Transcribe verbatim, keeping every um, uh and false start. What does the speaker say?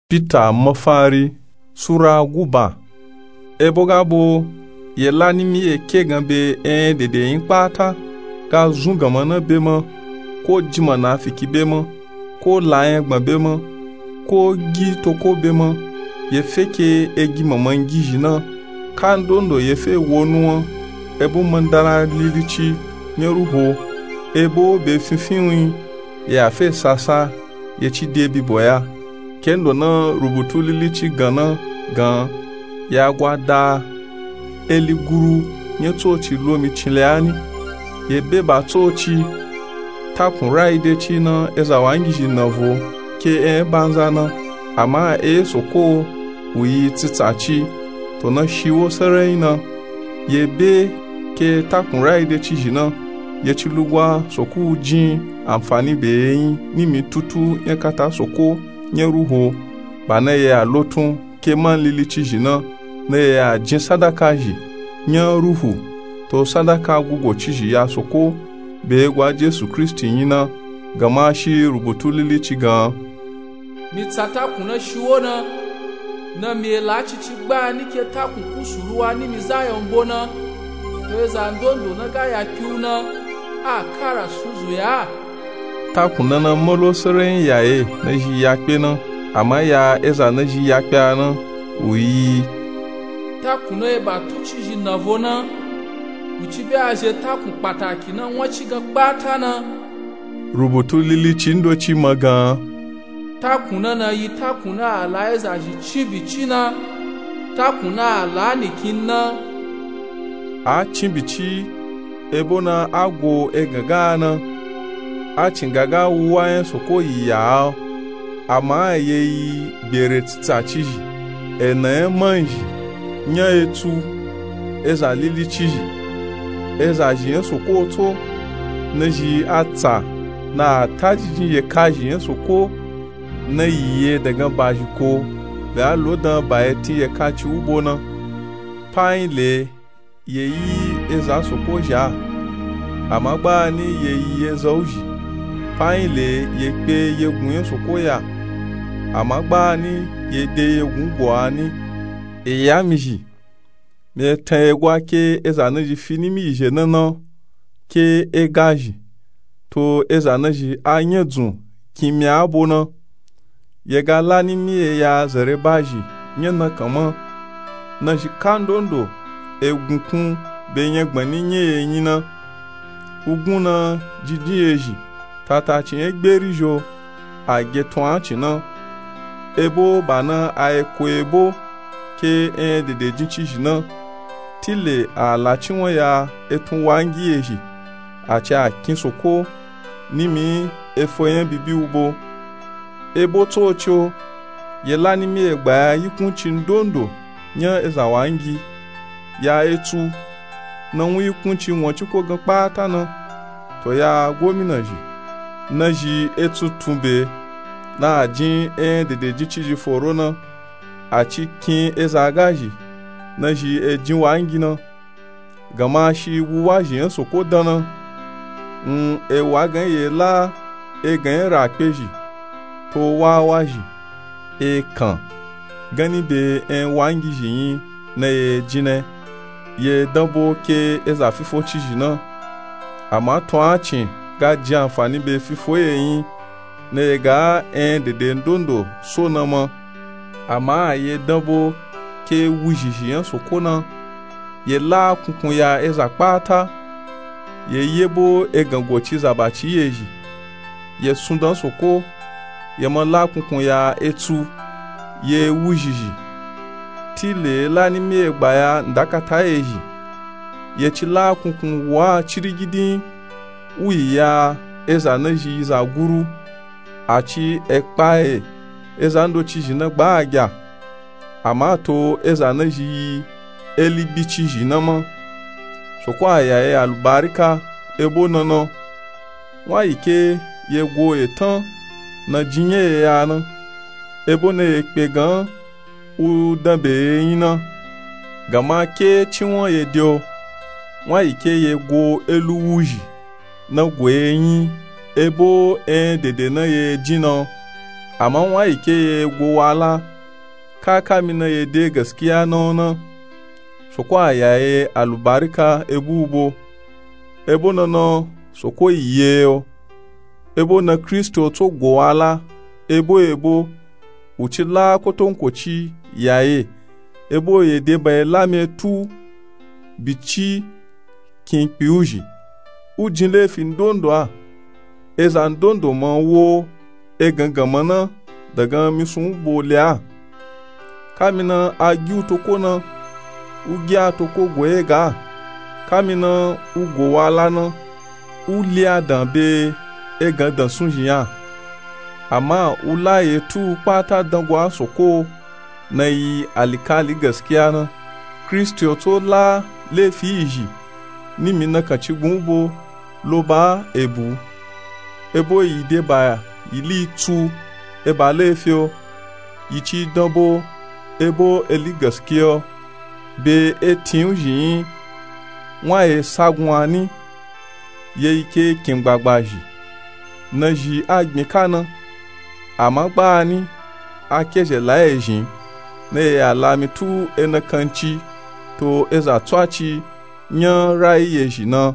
Pita mafari sura guba. Ebo ga bo, ye la nimi ye ke gan be en dede yin kpata, ga zun ganma na be ma, ko ji manafiki be ma, ko la yangban be ma, ko gi toko be ma, ye fe ke e gi manman gizhi na, kandondo ye fe wo nuwan, ebo mandara lilici nya ruho, ebo be finfinwin, ye a fe sasa, ye ci de bibo ya. Kendo na rubutu lilici gan na gan, ya gwa da eli guru nya tsoci lomi cinle ani. Ye be ba tsoci, takun rayi de ci na eza wangizhi navo ke en banza na, ama e soko wu yi tsitsa ci, to na shiwo sarai na. Ye be ke takun rayi de ci zhi na, ye ci lugwa soko wu jin anfani be ye yin nimi tutu nya kata soko nya ruho, ba na ye a lotun ke man lilici zhi na, na ye a jin sadaka zhi nya ruhu, to sadaka gugo ci zhi ya soko, be gwa Jesu Kristi yin na, ganma shi rubutu lilici gan. Mi tsa takun na shiwo na, na mi e la cici gba ni ke takun kusuru wa nimi Zayọn bo na, to eza ndondo na ga ya kpiwu na, a kara sunzu ya. Takun na na malo sarai ya ye na zhi ya kpe na, ama ya eza na zhi ya kpe a na, wu yi. Takun na ye ba tuci zhi navo na, wu ci be a zhe takun kpataki na nwa ci gan kpata na. Rubutu lilici ndoci ma gan. Takun na na yi takun na a la eza zhi cin bici na, takun na a la nikin na. A cin bici, ebo na a go egan ga na. A cin ga ga wu wa nya soko yi ya a, ama ye yi gbere tsitsa ci zhi, ena nya man zhi, nya etsu, eza lilici zhi, eza zhi nya soko tso, na zhi a tsa, na a tajijin ye ka zhi nya soko, na yi ye dagan ba zhi ko, be a lo dan ba ye tin ye ka ci wu bo na. Pa yin le, ye yi eza soko zha, ama gba ni ye yi eza wu zhi. Pa yin le, ye kpe ye gun nya soko ya, ama gba ni ye de ye gun go a ni. E ya mi zhi, mi e tan ye gwa ke eza na zhi fi nimi yi zhe na na, ke e ga zhi, to eza na zhi a nya dzun kin mi a bo na. Ye ga la nimi ye ya zare ba zhi nya na kan ma, na zhi kandondo e gun kun be nya gbani nya ye yin na. Wu gun na jijin ye zhi, tata ci nya gberi zho, a ge tun a cin na. Ebo ba na a ye ko ebo ke en dede jin ci zhi na. Tile a la ci wan ya etun wangi ye zhi, a ci a kin soko, nimi efo nya bibi wu bo. Ebo tsoci o, ye la nimi ye gba ya yikun ci ndondo nya eza wangi, ya etsu, na wun yikun ci wan ci ko gan kpata na, to ya gomina zhi, na zhi etsu tun be, na a jin en dede jin ci zhi foro na, a ci kin eza ga zhi, na zhi e jin wangi na. Ganma shi wu wa zhi nya soko dan na. N e wa gan ye la e gan nya ra kpe zhi, to wa wa zhi, e kan, ganni be en wangi zhi yin na ye jin na, ye dan bo ke eza fifo ci zhi na. Ama tun a cin ga jin anfani be fifo ye yin, na ye ga en dede ndondo so na ma. Ama ye dan bo ke wuzhi zhi nya soko na, ye la kunkun ya eza kpata, ye ye bo egan go ci zaba ci ye zhi, ye sundan soko, ye ma la kunkun ya etsu, ye wuzhi zhi. Tile la nimi ye gba ya ndakata ye zhi, ye ci la kunkun wa cirigidin, wu yi ya eza na zhi yi za guru, a ci e kpa ye eza ndoci zhi na gba agya, ama to eza na zhi yi eligbi ci zhi na ma. Soko a ya ye alubarika ebo na na. Wa yi ke ye go etan na jin nya ye ya na, ebo na ye kpe gan wu dan be ye yin na. Ganma ke ciwan ye de o, wa yi ke ye go elu wuzhi na go ye yin, ebo en dede na ye jin na. Ama nwa yi ke ye go wala, ka kami na ye de gaskiya na o na, soko a ya ye alubarika e bu u bo. E bo na na soko yi ye o. E bo na kristi o tso go wala, e bo e bo u ci la kotonkoci ya ye. E bo ye de ba ye lami e tu bi ci kinkpi u zhi. U jin lefi ndondo a. Eza ndondo ma wo e gangan ma na dagan misun u bo le a. Kami na a gi u toko na, u gi a toko go ye ga. Kami na u go wala na, u le a dan be e gan dan sun zhi a. Ama u la ye tu u kpata dan go a soko na yi alikali gaskiya na. Kristi o tso la lefi yi zhi ni mi na kan ci gun u bo lo ba e bu. E bo yi de ba yi li tsu e ba lefi o. Yi ci dan bo e bo e li gaskiya o. Be e tin u zhi yin nwa ye sagun a ni. Ye yi ke kin gbagba zhi na zhi a gbin ka na. Ama gba ni a ke zhe la ye zhin na ye ya lami tu e na kanci to eza tso a ci nya ra yi ye zhi na.